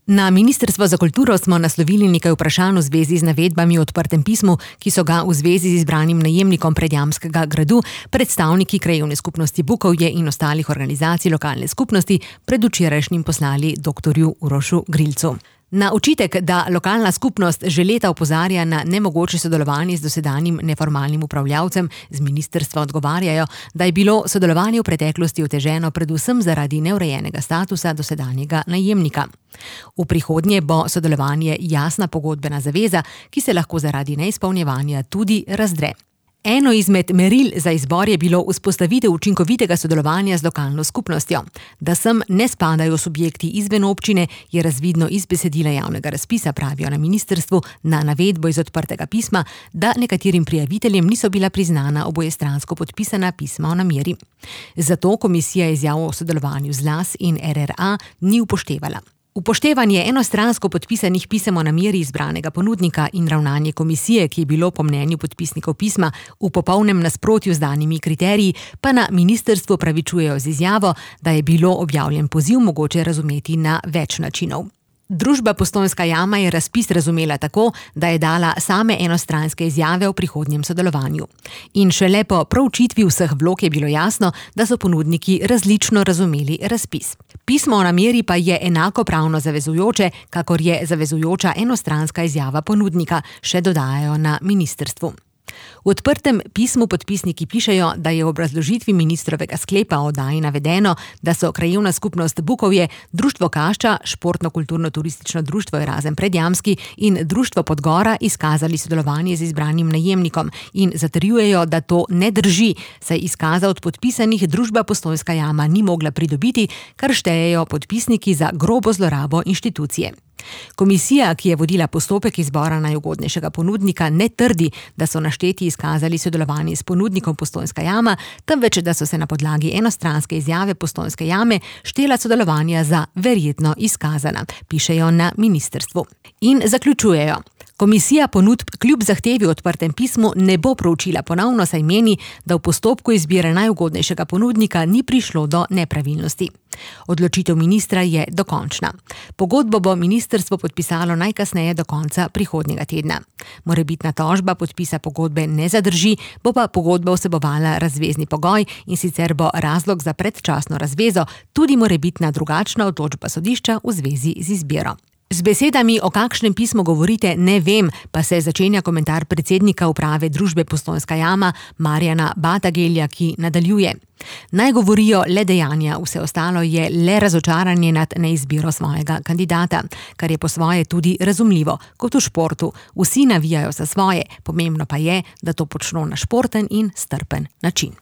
Na Ministrstvo za kulturo smo naslovili nekaj vprašanj v zvezi z navedbami v odprtem pismu, ki so ga v zvezi z izbranim najemnikom Predjamskega gradu predstavniki krajevne skupnosti Bukovje in ostalih organizacij lokalne skupnosti predvčerajšnjim poslali dr. Urošu Grilcu. Na očitek, da lokalna skupnost že leta opozarja na nemogoče sodelovanje z dosedanjim neformalnim upravljavcem, z ministrstva odgovarjajo, da je bilo sodelovanje v preteklosti oteženo predvsem zaradi neurejenega statusa dosedanjega najemnika. V prihodnje bo sodelovanje jasna pogodbena zaveza, ki se lahko zaradi neizpolnjevanja tudi razdre. Eno izmed meril za izbor je bilo vzpostavitev učinkovitega sodelovanja z lokalno skupnostjo. Da sem ne spadajo subjekti izven občine, je razvidno iz besedila javnega razpisa, pravijo na ministrstvu, na navedbo iz odprtega pisma, da nekaterim prijaviteljem niso bila priznana obojestransko podpisana pisma o nameri. Zato komisija izjavo o sodelovanju z LAS in RRA ni upoštevala. Upoštevanje enostransko podpisanih pisem o nameri izbranega ponudnika in ravnanje komisije, ki je bilo po mnenju podpisnikov pisma v popolnem nasprotju z danimi kriteriji, pa na ministrstvu pravičujejo z izjavo, da je bilo objavljen poziv mogoče razumeti na več načinov. Družba Postojnska jama je razpis razumela tako, da je dala same enostranske izjave o prihodnjem sodelovanju. In šele po proučitvi vseh vlog je bilo jasno, da so ponudniki različno razumeli razpis. Pismo o nameri pa je enako pravno zavezujoče, kakor je zavezujoča enostranska izjava ponudnika, še dodajajo na ministrstvu. V odprtem pismu podpisniki pišejo, da je v obrazložitvi ministrovega sklepa o oddaji navedeno, da so krajevna skupnost Bukovje, Društvo Kašča, Športno-kulturno-turistično društvo Erazem Predjamski in Društvo Podgora izkazali sodelovanje z izbranim najemnikom in zatrjujejo, da to ne drži, saj izkaza od podpisanih družba Postojnska jama ni mogla pridobiti, kar štejejo podpisniki za grobo zlorabo inštitucije. Komisija, ki je vodila postopek izbora najugodnejšega ponudnika, ne trdi, da so našteti izkazali sodelovanje s ponudnikom Postojnska jama, temveč da so se na podlagi enostranske izjave Postojnske jame štela sodelovanja za verjetno izkazana, pišejo na ministrstvu. In zaključujejo. Komisija ponudb kljub zahtevi v odprtem pismu ne bo proučila ponovno, saj meni, da v postopku izbire najugodnejšega ponudnika ni prišlo do nepravilnosti. Odločitev ministra je dokončna. Pogodbo bo ministrstvo podpisalo najkasneje do konca prihodnjega tedna. Morebitna tožba podpisa pogodbe ne zadrži, bo pa pogodba vsebovala razvezni pogoj, in sicer bo razlog za predčasno razvezo tudi morebitna drugačna odločba sodišča v zvezi z izbiro. Z besedami, o kakšnem pismu govorite, ne vem, pa se začenja komentar predsednika uprave družbe Postojnska jama Marjana Batagelja, ki nadaljuje. Naj govorijo le dejanja, vse ostalo je le razočaranje nad neizbiro svojega kandidata, kar je po svoje tudi razumljivo, kot v športu. Vsi navijajo za svoje, pomembno pa je, da to počno na športen in strpen način.